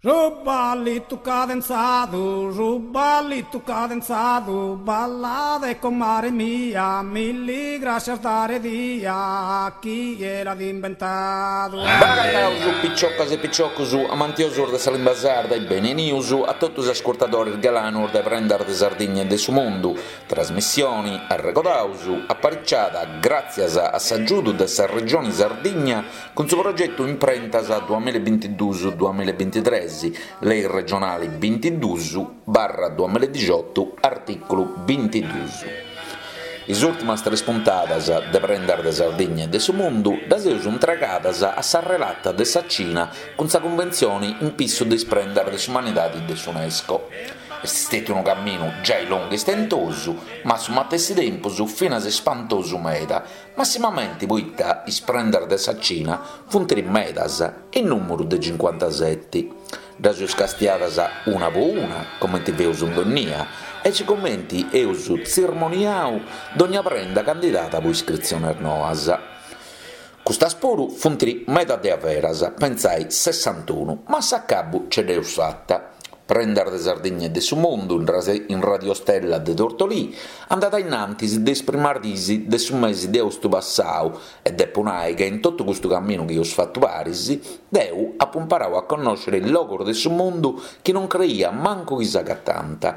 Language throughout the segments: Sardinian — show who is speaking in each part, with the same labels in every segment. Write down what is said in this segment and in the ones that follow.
Speaker 1: Su ballitu cadenzadu, su ballitu cadenzadu, ballade comare mia, milli grascias dare dia, chie l'at imbentadu.
Speaker 2: Benagataus piciocas e piciocus amantiosus de sa limba sarda e beni 'enius a totu is ascurtadoris galanus de Prendas de Sardigna e de su Mundu, trasmissioni, arregodaus, apariciada gràtzias a s'agiudu de sa Regioni Sardigna Cun su progetu Imprentas duamillabintiduus duamillabintitres, Lei regionali bintiduus barra duamilladixotu, artìculu bintiduus. Is ùrtimas tres puntadas de Prendas de Sardigna e de su Mundu ddas eus intregadas a sa relata de sa Cina cun sa Cunventzioni in pissu de is prendas de s'umanidadi de s'Unesco. Est stètiu unu caminu giai longu e istentosu, ma a su matessi tempus finas ispantosu meda, Massimamenti poita is prendas de sa Cina funt medas, in nùmuru de cincuantaseti. Ddas eus castiadas una po una, comenti feus in donnia, aici comenti eus tzirmoniau dogna prenda candidada po iscritziones noas. Custas puru funt meda de averas, pentzai sessantunu, ma a s'acabu ce dd'eus fata. Prendas de Sardigna e de su Mundu in Radio Stella de Tortolì andat a innantis de is primas diis de su mesi de austu passau e depu nai ca in totu custu caminu chi eus fatu paris deu apu imparau a connòscere logus de su mundu chi non creia mancu chi s'agatànt.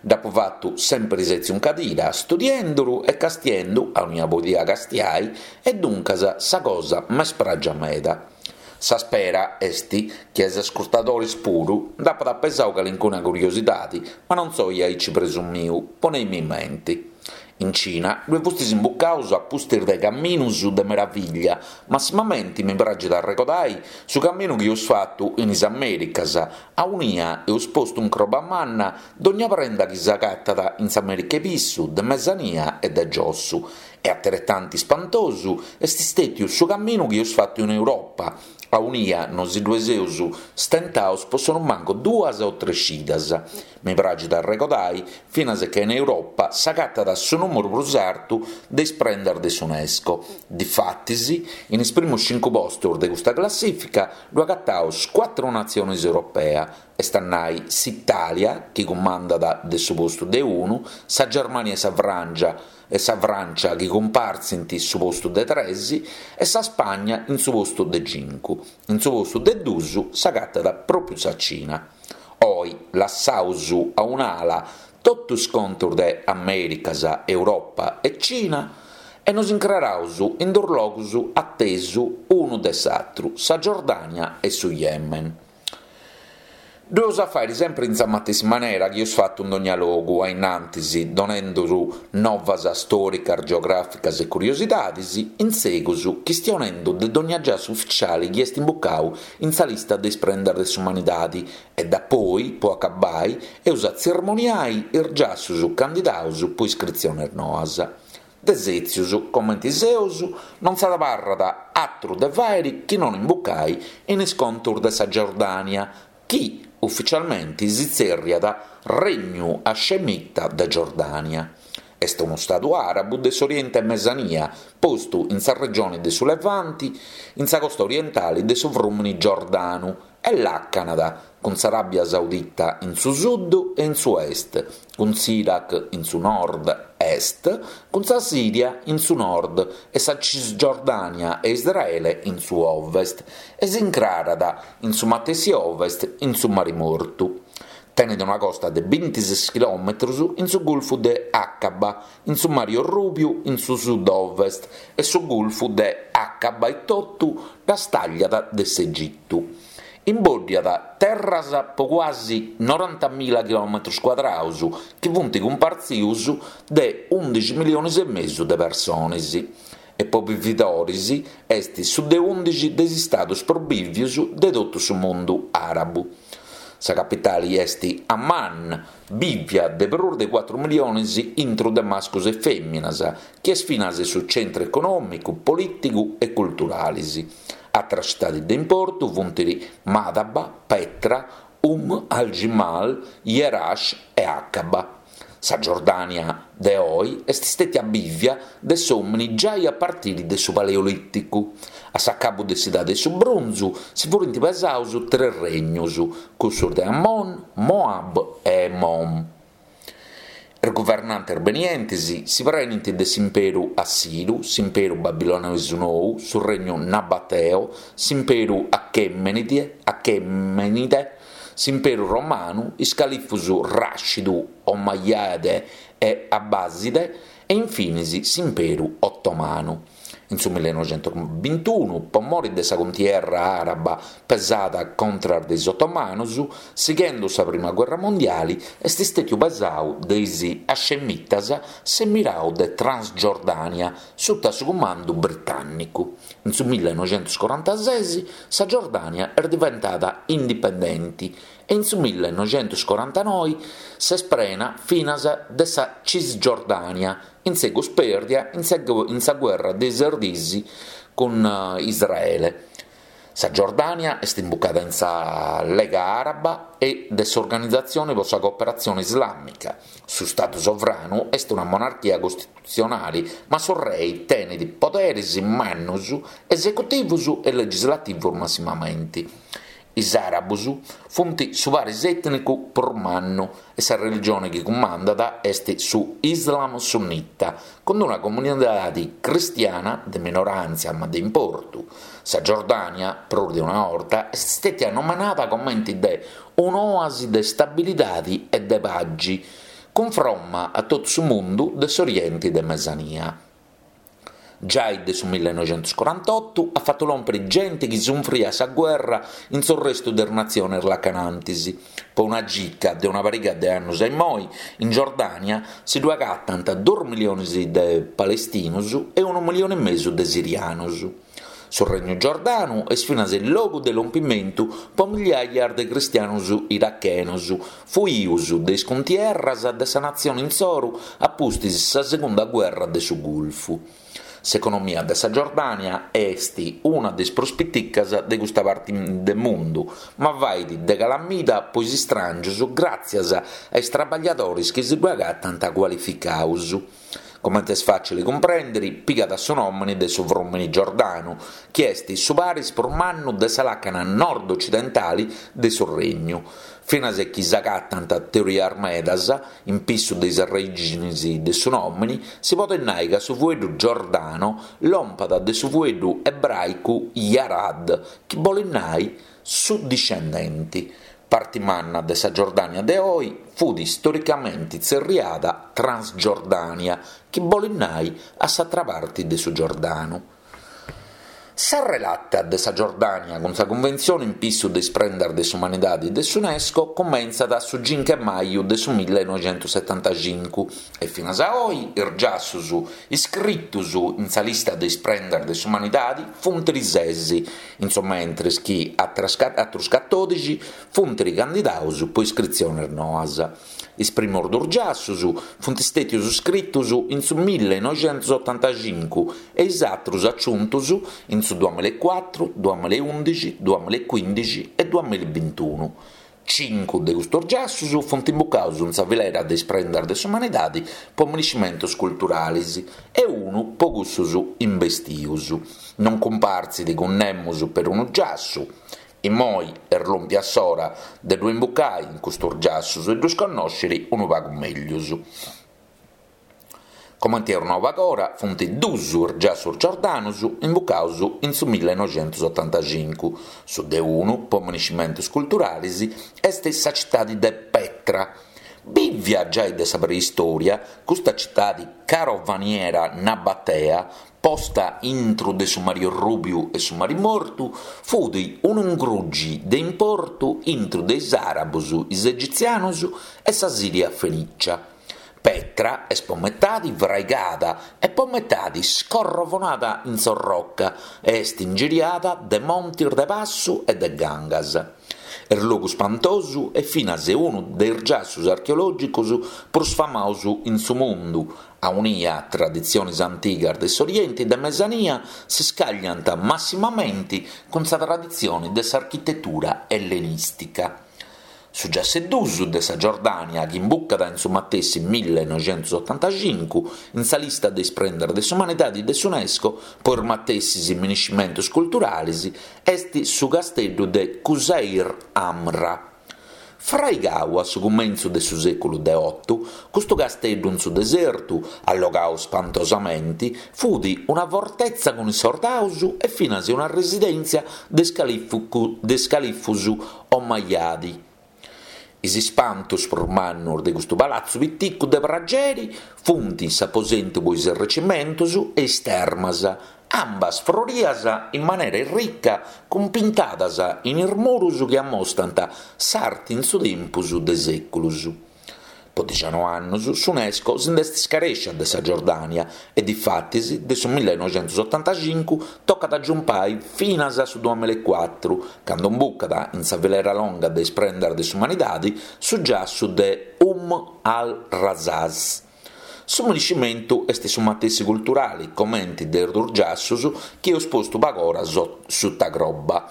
Speaker 2: Dd'apu fatu sempri sètziu in cadira, studienduru e castiendu aunia podia castiai e duncas sa cosa m'est pràgia meda. Sa spera est chi a is ascurtadoris puru nd'apat pesau calincuna curiosidadi, ma non soi aici presumiu, poneimi menti. In Cina ddue fustis imbucaus a pustis de caminus de meraviglia, massimamenti mi praxit a arregodai su caminu chi eus fatu in is Americas, aunia eus postu in croba manna dogna prenda chi s'agatat in s'America 'e Pissu, de Mesania e de Giossu, E ateretanti ispantosu est stètiu su caminu chi eus fatu in Europa, aunia nosi ddue seus stentaus po sonumancu duas o tres cidas. Mi praxit a arregodai finas ca in Europa s'agatat su nùmuru prus artu de is prendas de s'Unesco. Difatis, in is primus cincu postus de custa classìfica ddu agataus cuatru natzionis europea, est a nai s'Itàlia, chi cumandat de su postu de unu, sa Germània e sa Frància, e sa Frància chi cumpartzint su postu de tres e sa Spagna in su postu de cincu. In su postu de dus s'agatat pròpiu sa Cina. Oi lassaus a un'ala totu is contus de Amèricas, Europa e Cina e nos incraraus in dus logus atesu unu de s'atru, sa Giordània e su Yemen. Ddu eus a fàiri sempri in sa matessi manera chi eus fatu in dogna logu a innantis, donenduru novas stòricas, geogràficas e curiosidadis, in segus chistionendu de dogna giassu uficiali chi est imbucau in sa lista de is prendas de s'umanidadi e dapoi, po acabbai, eus a tzirmoniai is giassus candidaus po iscritziones noas. De sètzius comenti seus, non s'abarrat atru de fàiri chi non imbucai in is contus de sa Giordània, chi uficialmenti si tzèrriat Regnu Hascemita de Giordània. Est unu stadu àrabu de s'Oriente Mesania, postu in sa regioni de su Levanti, in sa costa orientali de su frùmini Giordanu, e làcanat cun s'Aràbia Saudita in su sud e in su est, cun s'Iraq in su nord est, cun sa Sìria in su nord e sa Cisgiordània e Israele in su ovest, e s'incrarat in su matessi ovest in su Mari Mortu. Tenet una costa de bintises chilòmetros in su Gulfu de Aqaba, in su Mari Orrùbiu in su sud-ovest e su Gulfu de Aqaba etotu ddas tàgliat de s'Egitu. Imbòddiat terras po cuasi norantamila chilòmetros cuadraus chi funt cumpartzius de ùndixi milionis e mesu de persones e po bividoris est su de ùndixi de is istadus prus bìvius de totu su mundu àrabu. Sa capitali est Amman, bìvia de prus de cuatru milionis intru de mascus e fèminas, chi est finas su centru econòmicu, polìtigu e culturalis. Atras citadis de importu funt Madaba, Petra, Umm al-Jimal, Jerash e Aqaba. Sa Giordània de oi est stètia bìvia de s'òmini giai a partiri de su Paleolìticu. A s'acabu de s'Idadi 'e su Brunzu si furint pesaus tres regnus, cussus de Ammon, Moab e Emom. Is guvernantes benientes si prenint de s'Imperu Assiru, s'Imperu Babilonesu Nou, su Regnu Nabateo, s'Imperu Achemenide, s'Imperu Romanu, is califus Ràscidu, Omayyade e Abbaside e infinis s'Imperu Otomanu. In su millenoixentusbintunu, po mori de sa cuntierra àraba pesada contras de is otomanus, sighendu sa prima guerra mondiali, est stètiu pesau de is Hascemitas s'Emirau de Transgiordània suta su cumandu britànnicu. In su millenoixentuscorantases sa Giordània est diventada indipendenti e in su millenoixentuscorantanoi s'est prena finas de sa Cisgiordània, in segus pèrdia in sa guerra de is Ses Diis cun Israele. Sa Giordània est imbucada in sa Lega Àraba e de s'Organizatzione pro sa Cooperatzione Islàmica. Su Stadu sovranu est una monarchia costitutzionale, ma su rei tenet poderes mannos, esecutivos e legislativos massimamente. Is àrabos funt su paris ètnicu prus mannu e sa religione chi cumandat est su Islam sunnita, cun una comunidade cristiana de minoràntzia ma de importu. Sa Giordània, prus de una 'orta, est stètia nomenada comente de un'òasi de stabilidade e de pagi, cunfromma a totu su mundu de s'Oriente de Mesania. Giai de su millenoixentuscorantotu at fatu lòmpere genti chi sunfriat sa guerra in s'orrestu de is natziones lacanantis. Po una gica de una pariga de annus a immoi, in Giordània si ddu agatant duus milionis de palestinus e unu milioni e mesu de sirianus. Su Regnu Giordanu est finas logu de lompimentu po migliaias de cristianus irachenos, fuius de is cuntierras de sa natzione insoru a pustis sa segunda guerra de su Gulfu. S'economia de sa Giordània est una de is prus piticas de custa parti de mundu, ma fait de calamida po is istràngius gràtzias a is trabagliadoris chi si ddu agatant cualificaus. Comente est fàcili cumprèndere, pigat su nòmene de su frùmene Giordanu, chi est su paris prus mannu de sa làcana nord-ocidentale de su Regnu. Finas chi s'agatant teorias medas in pissu de is arrèxinis de su nòmene, si podet nai ca su fueddu Giordano lompat de su fueddu ebràicu Yarad, chi bolet nai su discendenti. Parti manna de sa Giordània de oi fut storicamenti tzerriada Transgiordània, chi bolit nai a s'atra parti de su Giordanu. Sa relata de sa Giordània cun sa Cunventzione in pissu de is prendas de s'umanidadi de s'Unesco cumentzat su cincu 'e maju de su millenoixentussetantacincu e finas a oi is giassus iscritus in sa lista de is prendas de s'umanidadi funt ses, in su mentres chi atrus catòdixi funt candidaus po iscritziones noas. Is primos dus giassus funt stètius scritus in su millenoixentusotantacincu e is atrus aciuntus in su duamilaecuatru, duamilaeundixi, duamilaecuindixi e duamilabintunu. Cincu de custos giassus funt imbucaus in sa filera de is prendas de s'umanidadi po miniscimentus culturalis e unu po cussus imbestius. Non cumpartzit cun nemus perunu giassu. Immoi est lòmpia s'ora de ddu imbucai in custus giassus e ddus connòsciri unu pagu meglius. Comenti eus nau pagora, funt dus is giassus giordanus imbucaus in su millenoixentusotantacincu. Su de unu, po miniscimentus culturalis, est sa citadi de Petra. Bìvia giai de sa preistoria, custa citadi carovaniera nabatea, posta intru de su Mari Orrùbiu e su Mari Mortu, fut unu ingrugi de importu intru de is àrabus, is egitzianus e sa Sìria Fenìcia. Petra est po metadi fraigada e po metadi scorrovonada in s'orroca e est ingiriada de montis de passu e de gangas. Est logu spantosu e finas unu de is giassus archeològicos prus famaus in su mundu, aunia traditziones antigas de s'Orienti de Mesania si scagliant massimamenti cun sa traditzione de s'architetura ellenìstica. Su giassu 'e duus de sa Giordània chi imbucat in su matessi millenoixentusotantacincu in sa lista de is prendas de s'umanidadi de s'Unesco po is matessis miniscimentus culturalis est su casteddu de Qusair Amra. Fraigau a su cumentzu de su sèculu de otu, custu casteddu in su desertu, allogau spantosamenti, fut una fortetza cun is sordaus e finas una residèntzia de is califus Omayyadi. Is ispantus prus mannus de custu palatzu piticu de prageri funt s'aposentu po is recimentus e is termas, ambas frorias in manera irrica cun pintadas in is murus chi ammostant s'arti in su tempus de sèculus. Po dixano'annus s'Unesco si nd'est scarèscia de sa Giordània e difatis de su millenoixentusotantacincu tocat a giumpai finas a su duamillaecuatru, candu imbucat in sa filera longa de is prendas de s'umanidadi su giassu de Umm al-Razaz. Su miniscimentu est su matessi culturali comenti de is duus giassus chi eus postu pagora suta croba.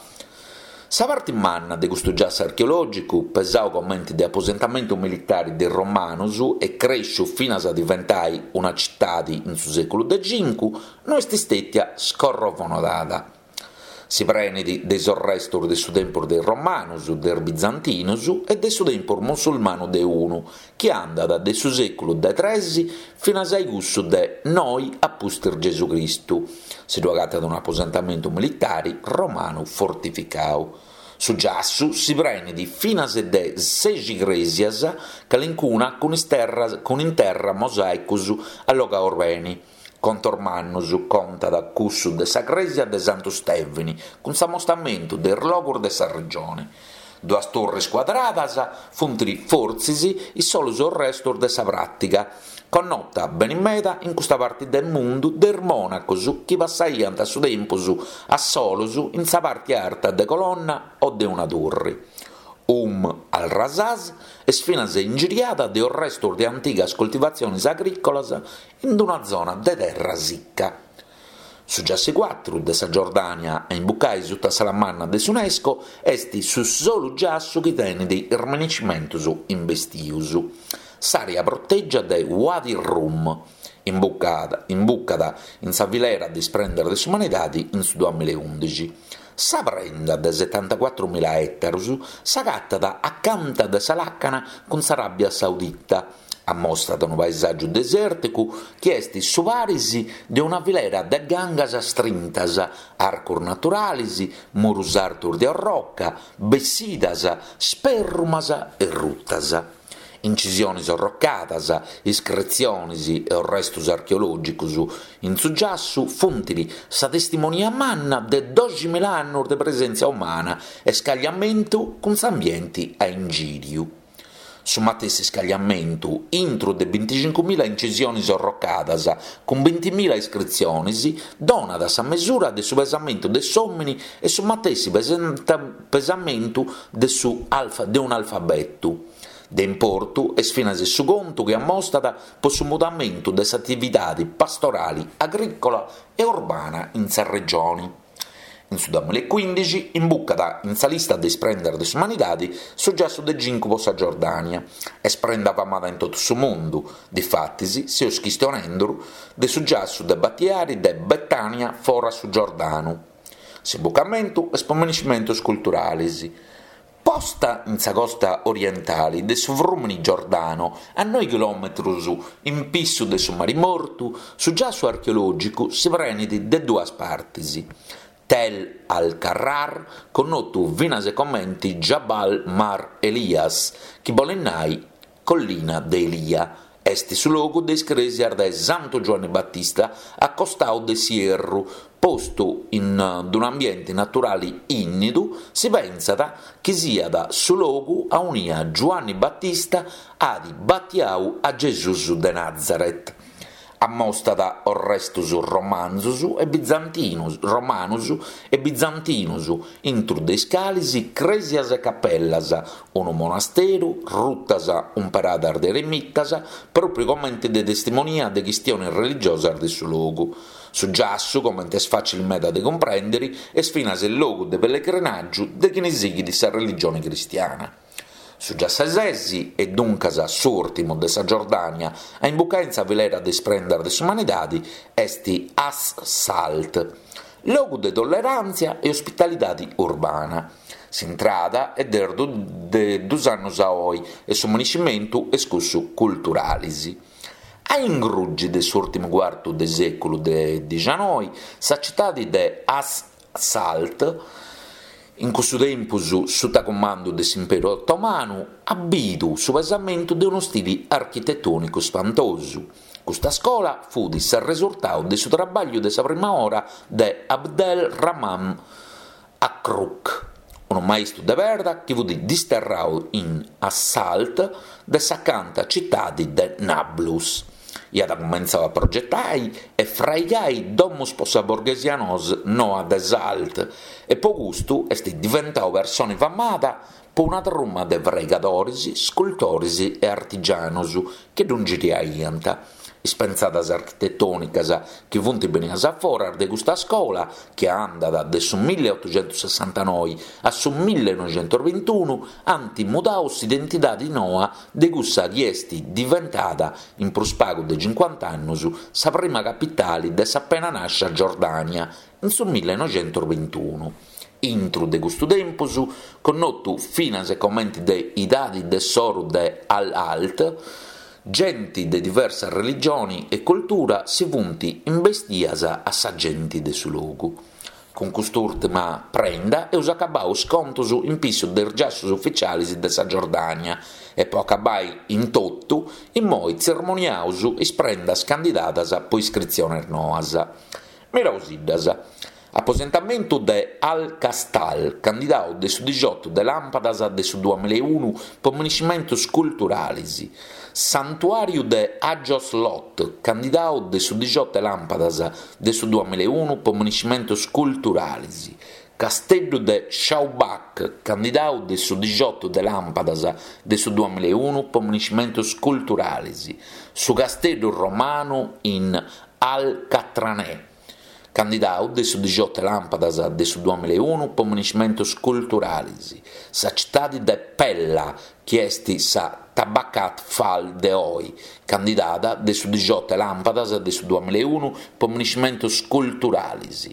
Speaker 2: Sa parti manna de custu giassu archeològicu, pesau comenti de aposentamentu militari de is romanus e crèsciu finas a diventai una citadi in su sèculu de cincu, no est stètia scorrovonada. Si prenit de is orrestus de su tempus de is romanus, de is bizantinus e de su tempus musulmanu de unu, chi andat de su sèculu de tres finas a cussu de noi a pustis Gesù Cristu. Si ddu agatat un'aposentamentu militari romanu fortificau. Su giassu si prenit finas de sexi crèsias, calincuna cun is terras cun in terra mosàicus allogaus beni. Contos mannus contat cussu de sa crèsia de Santu Stèvini cun s'amostamentu de is logus de sa regioni. Duas turris cuadradas funt fortzis is solus orrestus de sa pràtiga, connota beni meda in custa parti de mundu de is mònacos chi passaiant su tempus a solos in sa parti arta de colonna o de una turri. Umm al-Razaz est finas ingiriada de orrestus de antigas coltivatziones agrìcolas in una zona de terra sica. Su giassu cuatru de sa Giordània a imbucai suta s'ala manna de s'Unesco est su solu giassu chi tenit is miniscimentus imbestius. S'àrea protègia de Wadi Rum, imbucada in sa filera de is prendas de s'umanidadi in su duamillaeundixi. Sa prenda de setantacuatrumilla ètarus s'agatat acanta de sa làcana cun s'Aràbia Saudita. Ammostat unu paesàgiu desèrticu chi est su paris de una filera de gangas strintas, arcos naturales, murus artos de orroca, bessidas, spèrrumas e rutas. Incisiones orrocadas, iscritziones e orrestos archeològicos in su giassu funt sa testimonia manna de doximila annos de presèntzia umana e scagliamentu cun s'ambienti a ingìriu. Su matessi scagliamentu, intru de binticincumila incisiones orrocadas, cun bintimila iscritziones, donat sa mesura de su pesamentu de s'òmini e su matessi pesamentu de su de un'alfabetu. De importu est finas su contu chi ammostat po su mudamentu de s'atividade pastorale, agrìcola e urbana in sa regione. In su duamillaecuindixi imbucat in sa lista de is prendas de s'umanidadi su giassu de cincu po sa Giordània. Est prenda famada in totu su mundu, difatis seus chistionendu de su giassu de batiari de Betània fora su Giordanu. S'imbucamentu est po miniscimentus culturalis. Posta in sa costa orientali de su frùmini Giordano, a noi chilòmetrus in pissu de su Mari Mortu, su giassu archeològicu si prenit de duas partis, Tel al-Kharrar, connotu finas comenti Jabal Mar Elias, chi bolit nai Collina de Elia, Est su logu de is crèsias de Santu Giuanni Batista a costau de s'ierru, postu in d-un'ambienti naturali ìnnidu, si pentzat chi siat su logu aunia Giuanni Batista at batiau a Gesùs de Nazaret. Ammostat orrestus romanzus e bizantinus romanus e bizantinus, intru de is calis crèsias e capellas, unu monasteru, rutas umperadas de eremitas, pròpriu comente de testimonia de chistiones religiosas de su logu. Su giassu, comente est fàcili meda de cumprèndere, est finas logu de pellegrinàgiu de chini sighit sa religione cristiana. Su giassu 'e sesi, e duncas s'ùrtimu de sa Giordània a imbucai in sa filera de is prendas de s'umanidadi, est As-Salt, logu de tolleràntzia e ospitalidadi urbana. S'intrada est de dus annus a oi e su maniscimentu est cussu culturalis. A ingrugi de s'ùrtimu cuartu de sèculu de dixanoi, sa citadi de As-Salt, in cussu tempus suta cumandu de s'Imperu Otomanu, at bidu su pesamentu de unu stili architetònicu spantosu. Custa scola fut s'arresurtau de su trabagliu de sa prima ora de Abdel Rahman Akrouk, unu maistu de perda chi fut disterrau in As-Salt de s'acanta citadi de Nablus. Iat cumentzau a progetai e fraigai domus po sa borghesia noa de Salt e po custu est diventau personi famada po una truma de fraigadoris, scultoris e artigianus chi ddu ingiriaiant. Is pentzadas architetònicas chi funt benias a foras de custa scola, chi andat de su milleotuxentussessantanoi a su millenoixentusbintunu, ant mudau s'identidadi noa de cussa chi est diventada, in prus pagu de cincuant'annus, sa prima capitali de s'apena nàscia Giordània, in su millenoixentusbintunu. Intru de custu tempus, connotu finas e comenti de Idadi de s'Oru de Al-Salt, genti de diversa religioni e cultura si funt imbestias a sa genti de su logu. Cun cust'ùrtima prenda eus acabau is contus in pissu de is giassus uficialis de sa Giordània e po acabai in totu, immoi tzermoniaus is prendas candidadas po iscritziones noas. Mirausiddas. Aposentamentu de Al-Qastal, candidau de su dixiotu de làmpadas de su duamilaeunu po miniscimentus culturalis. Santuàriu de Agios Lot, candidau de su dixiotu 'e làmpadas de su duamilaeunu po miniscimentus culturalis. Casteddu de Shawbak, candidau de su dixiotu de làmpadas de su duamilaeunu po miniscimentus culturalis. Su casteddu romanu in Al-Qatraneh. Candidau de su dixiotu 'e làmpadas de su duamilaeunu po miniscimentus culturalis, sa citadi de Pella, chi est sa Tabakat Fal de oi, candidada de su dixiotu 'e làmpadas de su duamilaeunu po miniscimentus culturalis,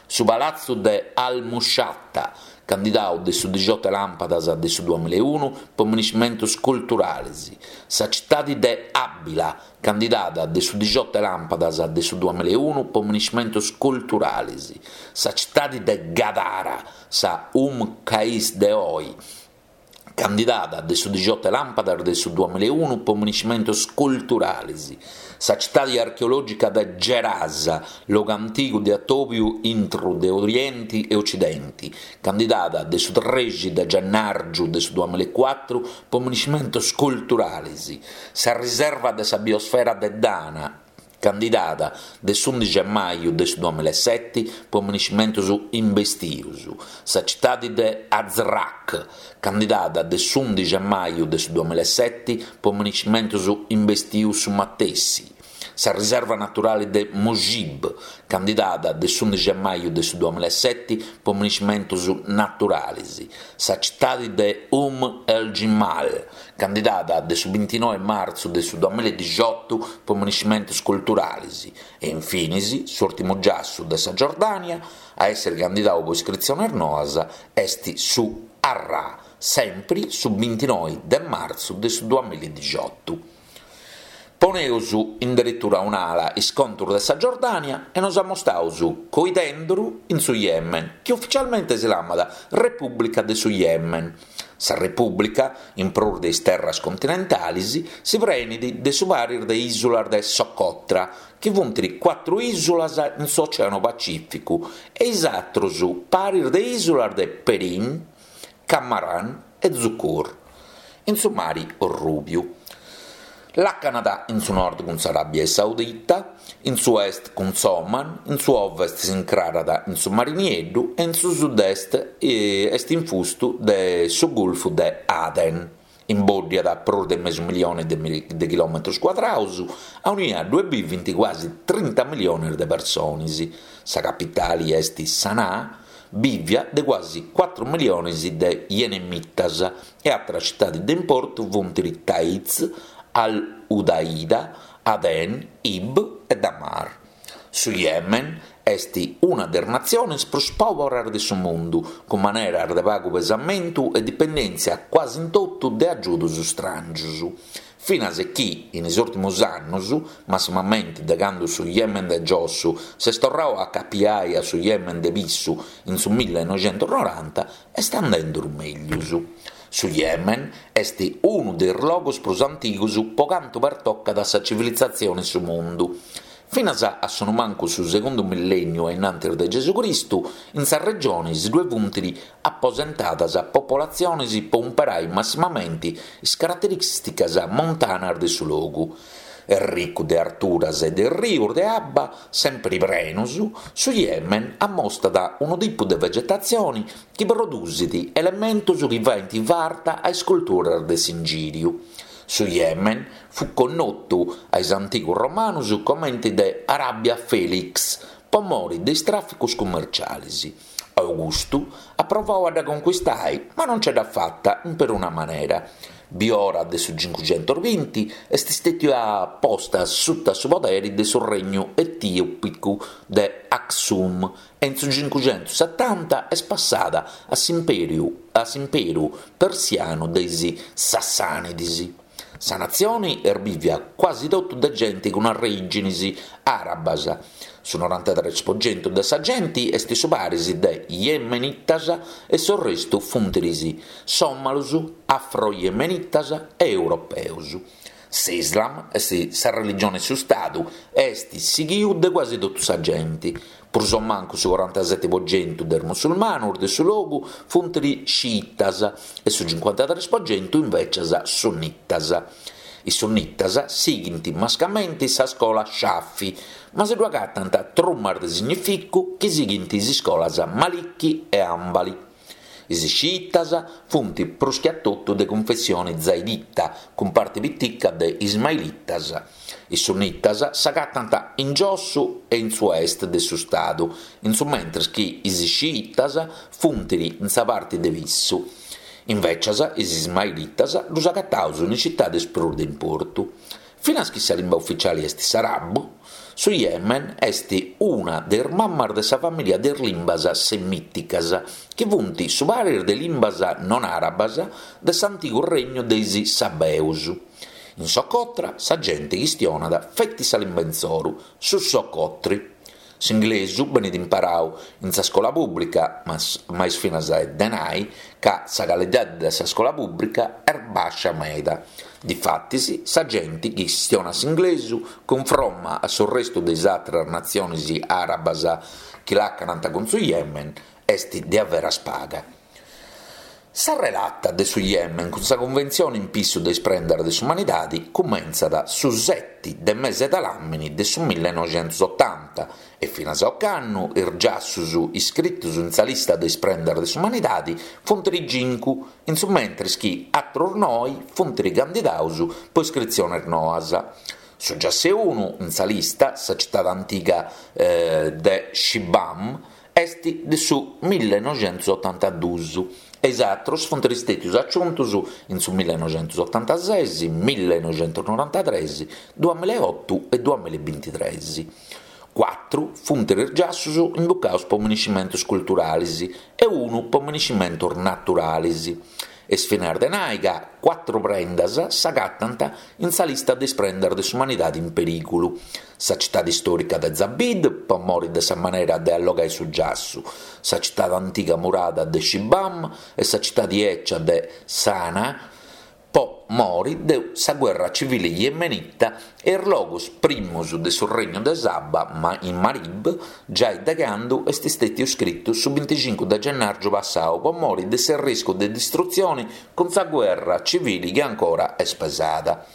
Speaker 2: su palatzu de Al-Mushatta, candidau de su dixiotu 'e làmpadas de su duamilaeunu po miniscimentus culturalis, sa citadi de Abila, candidada de su dixiotu 'e làmpadas de su duamilaeunu po miniscimentus culturalis, sa citadi de Gadara, sa Umm Qais de oi, candidada de su dixiotu 'e làmpadas de su duamilaeunu po miniscimentus culturalis, sa citadi archeològica de Gerasa, logu antigu de atòbiu intru de Orienti e Ocidenti, candidada de su trexi de gennàrgiu de su duamilaecuatru po miniscimentus culturalis, sa riserva de sa biosfera de Dana, candidada de s'undixi 'e maju de su duamilaeseti po miniscimentus imbestius, sa citadi de Azraq, candidada de s'undixi 'e maju de su duamilaeseti po miniscimentus imbestius su matessi, Sa riserva naturali de Mujib, candidada de s'undixi 'e maju de su duamilaeseti po miniscimentus naturalis, sa citadi de Umm el-Jimal, candidada de su bintinoe 'e martzu de su duamiladixiotu po miniscimentus culturalis, e infinis s'ùrtimu giassu de sa Giordània a èssere candidadu po iscritziones noas est su Arrà, sempri su bintinoe de martzu de su duamiladixiotu. Poneus in deretura a un'ala is contus de sa Giordània e nos amostaus coidenduru in su Yemen, chi uficialmente si lamat Repùblica de su Yemen. Sa Repùblica, in prus de is terras continentalis, si prenit de su paris de ìsulas de Socotra, chi funt cuatru ìsulas in s'Oceanu Pacìficu, e is atrus paris de ìsulas de Perim, Kamaran e Zukur, in su Mari Orrùbiu. Làcanat in su nord cun s'Aràbia Saudita, in su est cun s'Oman, in su ovest s'incrarat in su Mari Nieddu e in su sud-est est infustu de su Gulfu de Aden. Imbòddiat prus de mesu milione de chilòmetros cuadrados, aunia ddue bivint cuasi trinta miliones de persones. Sa capitale est Sanaa. bìvia de cuasi cuatru milionis de yenemitas e àteras citadis de importu funt Taiz, Al-Hudaida, Aden, Ibb e Dhamar. Su Yemen est una de is natziones prus pòboras de su mundu, cun maneras de pagu pesamentu e dipendèntzia cuasi in totu de agiudos stràngios. Finas chi, in is ùrtimos annos, massimamenti de cando su Yemen de giossu s'est torradu a acapiai a su Yemen de pissu in su millenoixentusnoranta, est andenduru mègius. Su Yemen est unu de is logos prus antigos pro cantu pertocat sa civilizatzione in su mundu. Finas a su mancu su segundu millènniu a in antis de Gesù Cristu, in sa regione si ddue funt aposentadas popolatziones po umperai massimamenti is caraterìsticas montanas de su logu. Ricu de arturas e de rius de abba sempri prenus, su Yemen ammostat unu tipu de vegetatzione chi produsit elementos chi faent farta a is culturas de s'ingìriu. Su Yemen fut connotu a is antigus romanus comenti de Arabia Felix po mori de is tràficus cummercialis. Augustu at provau a dda conquistai ma non nce dd'at fata in peruna manera. Biora de su cincuxentusbinti est stètia posta suta su poderi de su regnu etìopicu de Aksum e in su cincuxentussetanta est passada a s'impèriu a s'imperu persianu de is Sassànidis. Sa natzioni est bìvia cuasi totu de genti cun arrèiginis àrabas, su norantatres po centu de sa genti est su paris de yemenitas e s'orrestu funt is sòmalus, afro-yemenitas e europeus. S'Islam est sa religione 'e su Stadu e est sighiu de cuasi totu sa genti. Prus o mancu su corantaseti po centu de is musulmanus de su logu funt sciitas e su cincuantatres po centu invecias sunnitas. Is sunnitas sighint mascamenti sa scola Shafi, ma si ddu agatant trumas de significu chi sighint is iscolas Maliki e Hanbali. Is sciitas funt prus che a totu de cunfessione zaidita, cun parti pitica de ismailitas. Is sunnitas s'agatant in giossu e in su est de su stadu, in su mentres chi is sciitas funt in sa parti de pissu. Invècias is ismailitas ddus agataus in is citadis prus de importu. Finas chi sa limba ufitziali est s'arabu, su Yemen est una de is mammas de sa famìlia de is limbas semìticas, chi funt su paris de limbas non arabas de s'antigu regnu de is Sabeus. In Socotra sa genti chistionat feti sa limba insoru, su socotri. S'inglesu benit imparau in sa scola pùblica, ma est finas de nai ca sa calidadi de sa scola pùblica est bàscia meda. Difatis sa genti chi chistionat s'inglesu cunfromma a su restu de is àteras natzionis àrabas chi làcanant cun su Yemen est diaveras paga. Sa relata de su Yemen cun sa Cunventzione in pissu de is prendas de s'umanidadi cumentzat su seti de mese de làmini de su millenoixentusotanta e finas a ocannu is giassus iscritus in sa lista de is prendas de s'umanidadi funt cincu, in su mentris chi atrus noi funt candidaus po iscritziones noas. Su giassu unu in sa lista, sa citade antiga de Shibam, Est de su millenoixentusotantaduus e is atrus funt stètius aciuntus in su millenoixentusotantases, millenoixentusnorantatres, duamilaeotu e duamillabintitres. Cuatru funt is giassus imbucaus po miniscimentus culturalis e unu po miniscimentus naturalis. Est finas de nai ca cuatru prendas s'agatant in sa lista de is prendas de s'umanidadi in perìgulu, sa citadi istòrica de Zabid, po mori de sa manera de allogai su giassu, sa citadi antiga murada de Shibam e sa citadi 'ecia de Sanaa, po mori de sa guerra civili yemenita e is logus primus de su Regnu de Saba in Marib, giai de candu est stètiu scritu su binticincu de gennàrgiu passau po mori de s'erriscu de distrutzioni cun sa guerra civili chi ancora est pesada.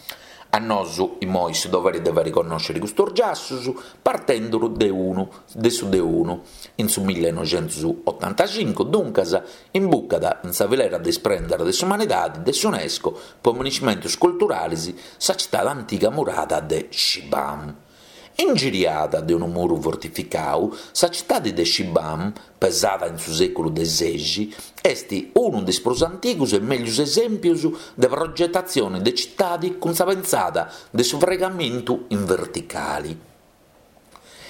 Speaker 2: A nosu imoi su doveri de fai connòsciri custus giassus, partenduru de unu de su de unu. In su millenoixentusotantacincu, duncas, imbucat in sa filera de is prendas de s'umanidadi de s'Unesco po miniscimentus culturalis sa citadi antiga murada de Shibam. Ingiriada de unu muru fortificau, sa citadi de Shibam, pesada in su sèculu de sexi, est unu de is prus antigus e mellus esèmpius de progetatzioni de citadi cun sa pentzada de su fraigamentu in verticali.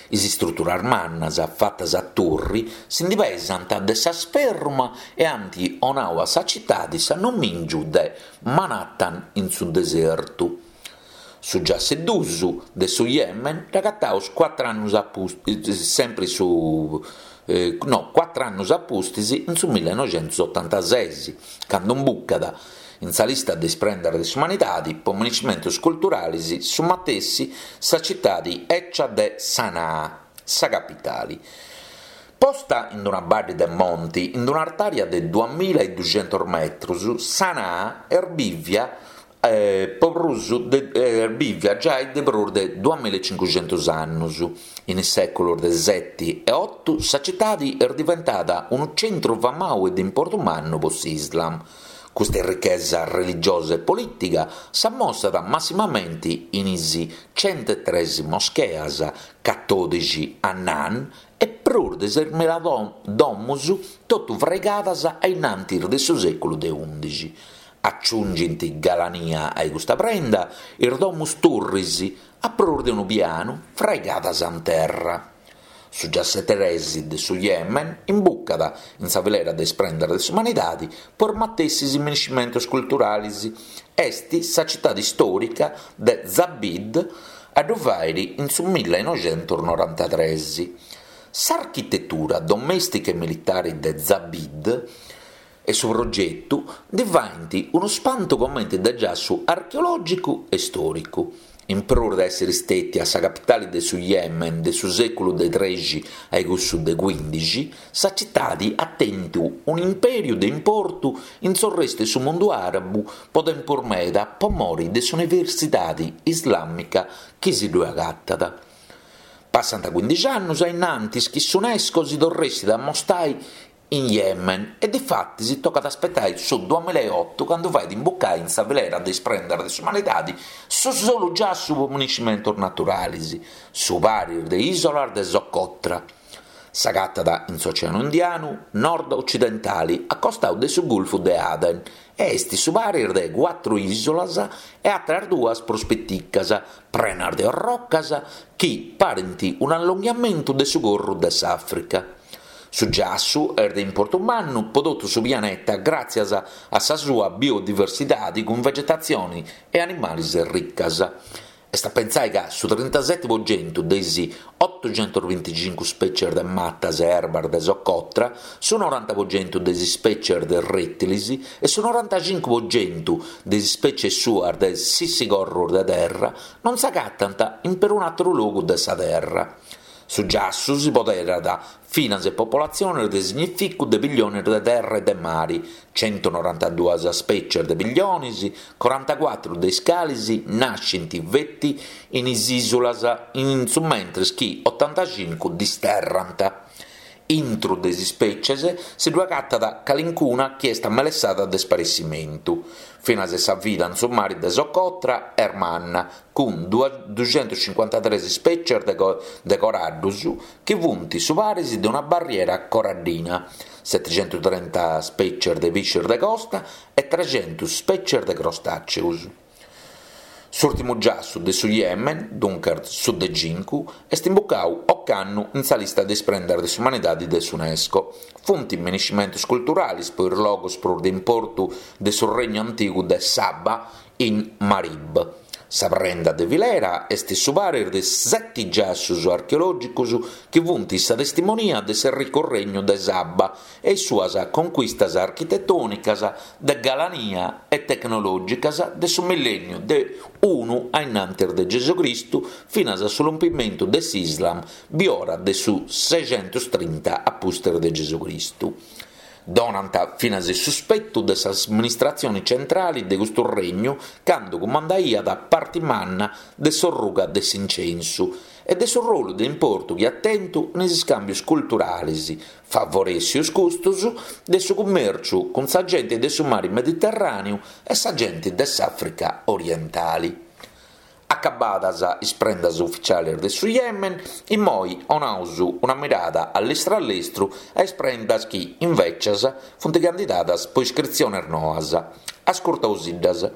Speaker 2: Is istruturas mannas, fatas a turri, si ndi pesant de sa sferruma e ant 'onau a sa citadi s'annomìngiu de Manhattan in su desertu. Su giassu dus de su Yemen dd'agataus cuatr'annus a pustis, sempri su no, cuatr'annus a pustis, in su millenoixentusotantases, candu imbucat in sa lista de is prendas de s'umanidadi po miniscimentus culturalis su matessi sa citadi 'ecia de Sanaa, sa capitali. Posta in una baddi de monti, in un'artària de duamilla e duxentus metrus, Sanaa est bìvia po prus de est bìvia giai de prus de duamillaecincuxentus annus. In is sèculos de seti e otu sa citadi est diventada unu centru famau e de importu mannu po s'Islam. Custa errichesa religiosa e polìtiga s'ammostat massimamenti in is centetres moscheas, catòdixi hanan e prus de sesmilla domus totu fraigadas a innantis de su sèculu de ùndixi. Aciungint galania a custa prenda is domus turris a prus de unu pianu fraigadas in terra. Su giassu tres de su Yemen imbucat in sa filera de is prendas de s'umanidadi po is matessis miniscimentos culturalis. Est sa citadi istòrica de Zabid a ddu fàiri in su millenoixentusnorantatres. S'architetura domèstica e militari de Zabid e su progetu ndi faint unu spantu comenti de giassu archeològicu e stòricu. In prus de èssiri stètia sa capitali de su Yemen de su sèculu de trexi a cussu de cuìndixi, sa citadi at tentu un'impèriu de importu in s'orrestu 'e su mundu àrabu po tempus meda po mori de s'universidadi islàmica chi si ddue agatat. Passant cuìndixi annus a innantis chi s'Unesco si torressit a amostai in Yemen e difatis tocat a aspetai su duamillaeotu candu fait imbucai in sa filera de is prendas de s'umanidadi su solu giassu po miniscimentus naturalis, su paris de isolas de Socotra. S'agatat in s'Oceanu Indianu nord-ocidentali a costau de su Gulfu de Aden e est su paris de cuatru isolas e atras duas prus piticas, prenas de orrocas chi parint un'allonghiamentu de su corru de s'Àfrica. Su giassu est de importu mannu po totu su pianeta gràtzias a sa sua biodiversidadi cun vegetatzioni e animalis riccas. Est a pentzai ca su trintaseti po centu de is otoxentusbinticincu spècies de matas e erbas de Socotra, su noranta po centu de is spècies de rètilis e su norantacincu po centu de is spècies suas de sisigorrus de terra non s'agatant in perun'àteru logu de sa terra. Su giassu si poderat finas e popolatziones de significu de pilliones de terra e de mari, centunorantaduas spècies de pilliones, corantacuatru de is cales nascint feti in is ìsulas in su mentres chi otantacincu disterrant. Intru de is ispècies si ddu agatat calincuna chi est amelessada de sparessimentu. Finas e sa vida in su mari de Socotra est manna, cun duxentuscincuantatres ispècies de coraddus chi funt su paris de una barriera coraddina, setixentutrenta spècies de piscis de costa e trexentus spècies de crostàceus. S'ùrtimu giassu de su Yemen, duncas su de cincu, est imbucau ocannu in sa lista de is prendas de s'umanidadi de s'Unesco. Funt miniscimentus culturalis po is logus prus de importu de su regnu antigu de Saba in Marib. Sa prenda de filera est su paris de seti giassus archeològicos chi funt sa testimonia de s'erricu regnu de Saba e is suas conquistas architetònicas de galania e tecnològicas de su millènniu de unu a innantis de Gesucristu finas a su lompimentu de s'Islam biora de su sexentustrinta a pustis de Gesucristu. Donant finas su spetu de s'amministratzione centrale de custu regnu cando cumandaiat parte manna de s'orruga de s'incensu e de su rolu de importu chi at tentu in is iscàmbios culturales, favorèssios custos de su cummèrciu cun sa gente de su mare Mediterràneu e sa gente de s'Àfrica orientale. Acabadas is prendas uficialis de su Yemen, immoi 'onaus una mirada a lestru a lestru a is prendas chi, invècias, funt candidadas po iscritzionis noas. Ascurtausiddas.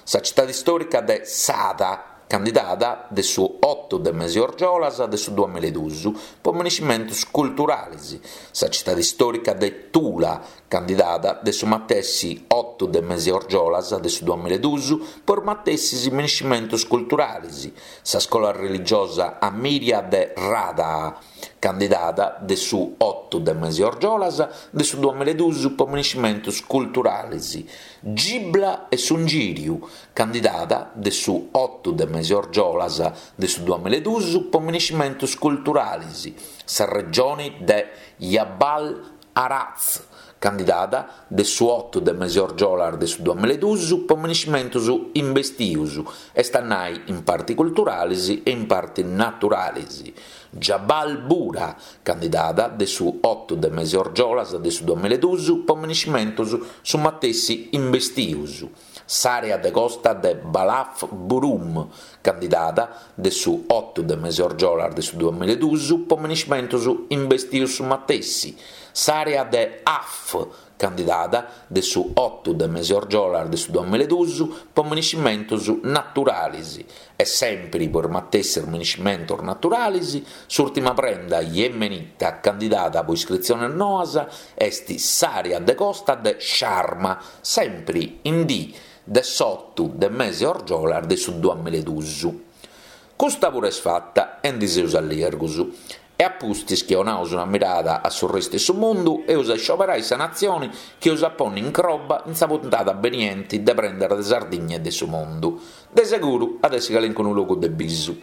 Speaker 2: Sa citadi istòrica de Sada, candidada de su otu de mesi orgiolas de su duamiladus po miniscimentus culturalis, sa citadi istòrica de Tula, candidada de su matessi otu de mesi orgiolas de su duamiladus po is matessis miniscimentus culturalis, sa scola religiosa Amiria de Radaa, candidada de su otu de mesi orgiolas de su duamiladus po miniscimentus culturalis, Gibla e s'Ungìriu, candidada de su otu de mesi orgiolas de su duamiladus po miniscimentus culturalis, sa regioni de Jabal Haraz, candidada de su otu de mesi orgiolas de su duamiladus po miniscimentus imbestius, est a nai in parti culturalis e in parti naturalis, Jabal Bura, candidada de su otu de mesi orgiolas de su duamiladus po miniscimentus su matessi imbestius, S'àrea de costa de Balaf Burum, candidada de su otu de mesi orgiolas de su duamiladus po miniscimentus imbestius su matessi, s'àrea de Af, candidada de su otu de mesi orgiolas de su duamiladus po miniscimentus naturalis e sèmpiri po is matessis miniscimentus naturalis, s'ùrtima prenda yemenita candidada po iscritziones noas est s'àrea de costa de Sharma, sèmpiri in dì de s'otu de mesi orgiolas de su duamiladus. Custa puru est fata e ndi seus allirgus. E a pustis chi 'onaus una mirada a su restu 'e su mundu, eus a iscioberai sa natzioni chi eus a ponni in croba in sa puntada benienti de Prendas de Sardigna e de su Mundu. De seguru at essi calincunu logu de bisu.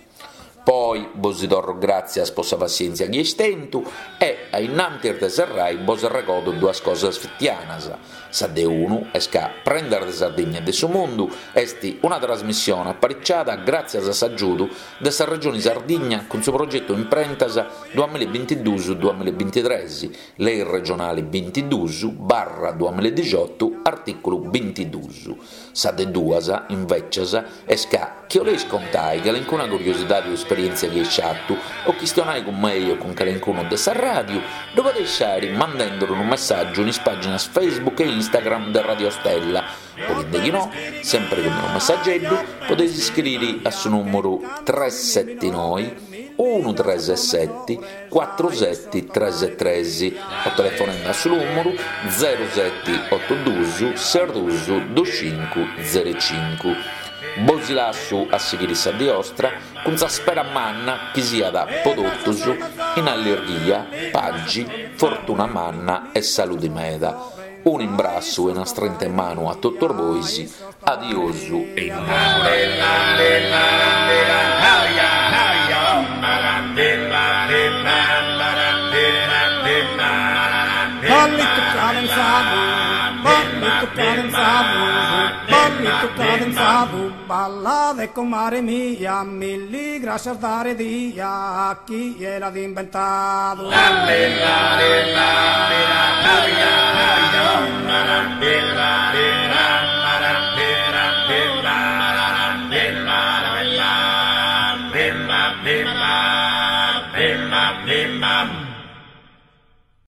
Speaker 2: Po oi bosi torru gràtzias po sa passièntzia chi eis tentu e, a innantis de serrai, bos arregodu duas cosas fitianas. Sa de unu est ca Prendas de Sardigna e de su Mundu est una trasmissione apariciada gràtzias a s'agiudu de sa Regioni Sardigna cun su progetu Imprentas duamillabintiduus duamillabintitres, Lei regionali bintiduus barra duamilladixotu artìculu bintiduus. Sa de duas, invècias, est ca, chi 'oleis contai calincuna curiosidadi o esperièntzia chi eis fatu, o chistionai cun mei o cun calincunu de sa ràdiu, ddu podeis fàiri mandenduru unu messàgiu in is pàginas Facebook e Instagram de Radio Stella, o chi deghinò, sèmpiri cun unu messageddu, podeis iscriri a su nùmuru tres seti noi unu tres seti cuatru seti tres tres o telefonende a su nùmuru zeru seti otu dus ses dus dus cincu zeru cincu. Bosi lassu a sighiri sa dì 'ostra cun sa spera manna chi siat po totus in allirghia, pagi, fortuna manna e saludi meda. Unu imbrassu e una strinta 'e manu a totus bois, adiosu e in bonora.
Speaker 1: Ballitu cadenzadu, ballitu cadenzadu, ballitu cadenzadu, ballade comare mia, milli grascias dare dia, chie l'at imbentadu.